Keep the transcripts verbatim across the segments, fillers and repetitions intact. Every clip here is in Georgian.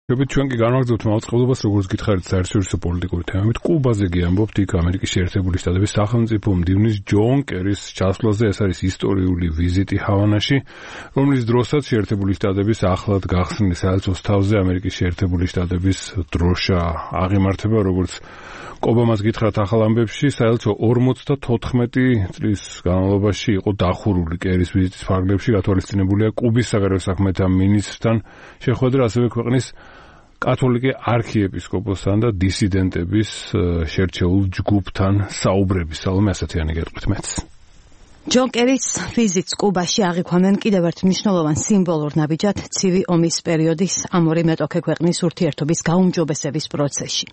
შევით ჩვენ კი განვაგრძობთ მაუწყებლობას, როგორც გითხარით, საერთაშორისო პოლიტიკური თემებით. კუბაზე კი ამბობთ, იქ ამერიკის შეერთებული შტატების სახელმწიფო მდივნის ჯონ კერის ჩასვლაზე. ეს არის ისტორიული ვიზიტი ჰავანაში, რომლის დროსაც შეერთებული შტატების ახლად გახსნილი საელჩოს თავზე ამერიკის შეერთებული შტატების დროშა აღიმართება, როგორც ობამას გითხრათ ახალ ამბებში, საელჩო ორმოცდათოთხმეტი წლის განმავლობაში იყო დახურული კერის ვიზიტის ფარგლებში, გათვალისწინებულია კუბის საგარეო საქმეთა მინისტრთან შეხვედრა, ასევე ქვეყნის კათოლიკე არქიეპისკოპოსთან და დისიდენტების შერჩეულ ჯგუფთან საუბრების. სალომე ასათიანი გეტყვით მეც. ჯონ კერის ვიზიტს კუბაში აღიქვამენ კიდევ ერთ მნიშვნელოვან სიმბოლურ ნაბიჯად ცივი ომის პერიოდის ამ ორი მეტოქე ქვეყნის ურთიერთობის გაუმჯობესების პროცესში.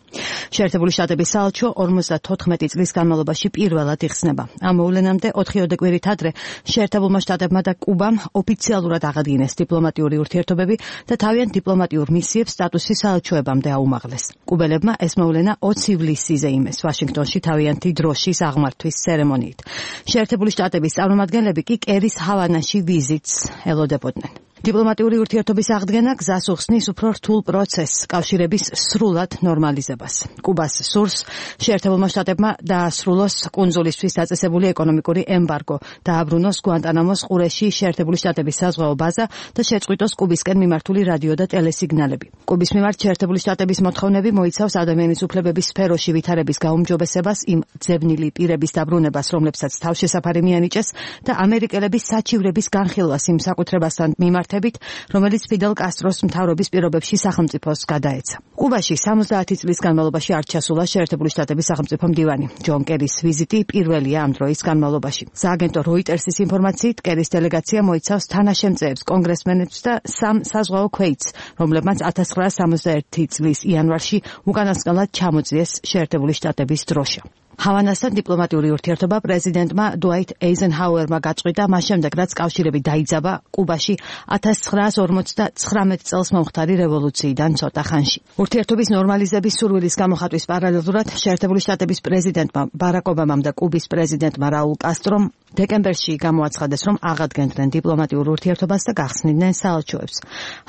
შეერთებული შტატების საელჩო ორმოცდათოთხმეტი წლის განმავლობაში პირველად იხსნება. ამ მოვლენამდე ოთხიოდე კვირით ადრე შეერთებულმა შტატებმა და კუბამ ოფიციალურად აღადგინეს დიპლომატიური ურთიერთობები და თავიანთ დიპლომატიურ მისიებს სტატუსი საელჩოებამდე აუმაღლეს. კუბელებმა ეს მოვლენა ოცი ივლისზე იმეს ვაშინგტონში თავიანთი დროშის აღმართვის ცერემონიით. შეერთებული შტატები წარმომადგენლები კი კერის ჰავანაში ვიზიტს ელოდებოდნენ. დიპლომატიური ურთიერთობის აღდგენა გზას უხსნის უფრო რთულ პროცესს, კავშირების სრულად ნორმალიზებას. კუბას სურს შეერთებულმა შტატებმა დაასრულოს კუნძულისთვის დაწესებული ეკონომიკური ემბარგო, დააბრუნოს გუანტანამოს ყურეში შეერთებული შტატების საზღვაო ბაზა და შეწყვიტოს კუბისკენ მიმართული რადიო და ტელესიგნალები. კუბის მიმართ შეერთებული შტატების მოთხოვნები მოიცავს ადამიანის უფლებების სფეროში ვითარების გაუმჯობესებას, იმ ძებნილი პირების დაბრუნებას, რომლებსაც თავშესაფარი მიანიჭეს და ამერიკელების საჩივრების განხილვას იმ საკუთრებასთან მიმართ რომელიც ფიდელ კასტროს მთავრობის პირობებში სახელმწიფოს გადაეცა. კუბაში სამოცდაათი წლის განმავლობაში არ ჩასულა შეერთებული შტატების სახელმწიფო მდივანი. ჯონ კერის ვიზიტი პირველია ამ დროის განმავლობაში. სააგენტო როიტერსის ინფორმაციით, კერის დელეგაცია მოიცავს თანაშემწეებს, კონგრესმენებს და სამ საზღვაო ქვეითს, რომლებმაც ათას ცხრაასი სამოცდაერთი წლის იანვარში უკანასკნელად ჩამოწიეს შეერთებული შტატების დროშა. ჰავანასთან დიპლომატიური ურთიერთობა პრეზიდენტმა დუაიტ ეიზენჰაუერმა გაწყვიტა მას შემდეგ, რაც კავშირები დაიძაბა კუბაში ათას ცხრაასი ორმოცდათხრამეტ წელს მომხდარი რევოლუციიდან ცოტა ხანში. ურთიერთობის ნორმალიზების სურვილის გამოხატვის პარალელურად შეერთებული შტატების პრეზიდენტმა ბარაკ ობამამ და კუბის პრეზიდენტმა რაულ კასტრომ დეკემბერში გამოაცხადეს, რომ აღადგენდნენ დიპლომატიურ ურთიერთობას და გახსნიდნენ საელჩოებს.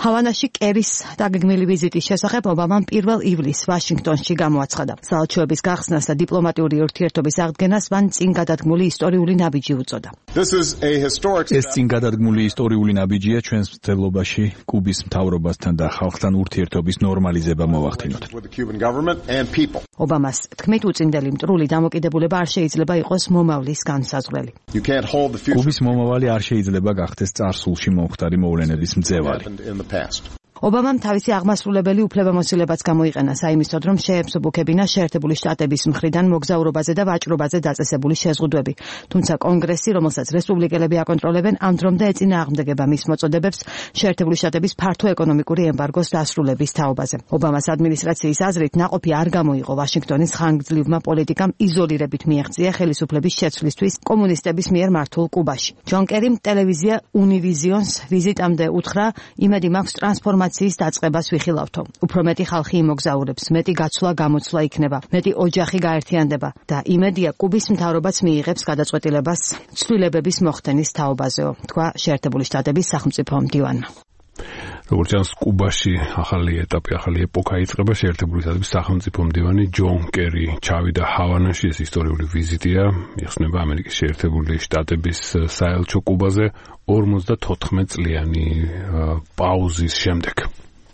ჰავანაში კერის დაგეგმილი ვიზიტის შესახებ ობამამ პირველ ივლისს ვაშინგტონში გამოაცხადა. საელჩოების გახსნას და დიპლომატიური ურთიერთობის აღდგენას მან წინ გადადგმული ისტორიული ნაბიჯი უწოდა. ეს წინ გადადგმული ისტორიული ნაბიჯია ჩვენს მცდელობაში კუბის მთავრობასთან და ხალხთან ურთიერთობის ნორმალიზება მოვახდინოთ. ობამას თქმით, უწინდელი მტრული დამოკიდებულება არ შეიძლება იყოს მომავლის განსაზღვრელი. კუბის მომავალი არ შეიძლება გახდეს წარსულში მომხდარი მოვლენების მძევალი. ობამამ თავისი აღმასრულებელი უფლებამოსილებაც გამოიყენა საიმისოდ, რომ შეემსუბუქებინა შეერთებული შტატების მხრიდან მოგზაურობაზე და ვაჭრობაზე დაწესებული შეზღუდვები. თუმცა კონგრესი, რომელსაც რესპუბლიკელები აკონტროლებენ, ამ დრომდე ეწინააღმდეგება მის მოწოდებებს შეერთებული შტატების ფართო ეკონომიკური ემბარგოს დასრულების თაობაზე. ობამას ადმინისტრაციის აზრით, ნაყოფი არ გამოიღო ვაშინგტონის ხანგრძლივმა პოლიტიკამ იზოლირებით მიაღწია ხელისუფლების შეცვლისთვის კომუნისტების მიერ მართულ კუბაში. ჯონ კერიმ ტელევიზია უნივიზიონს ვიზიტამდე უთხრა, იმედი მაქვს ტრანსფორმაციის დაწყებას ვიხილავთო. უფრო მეტი ხალხი იმოგზაურებს, მეტი გაცვლა-გამოცვლა იქნება, მეტი ოჯახი გაერთიანდება და იმედია კუბის მთავრობაც მიიღებს გადაწყვეტილებას ცვლილებების მოხდენის თაობაზეო, თქვა შეერთებული შტატების სახელმწიფო მდივანმა. როგორც ჩანს, კუბაში ახალი ეტაპი, ახალი ეპოქა იწყება. შეერთებული შტატების სახელმწიფო მდივანი ჯონ კერი ჩავიდა ჰავანაში. ეს ისტორიული ვიზიტია, იხსნება ამერიკის შეერთებული შტატების საელჩო კუბაზე ორმოცდათოთხმეტ წლიანი პაუზის შემდეგ.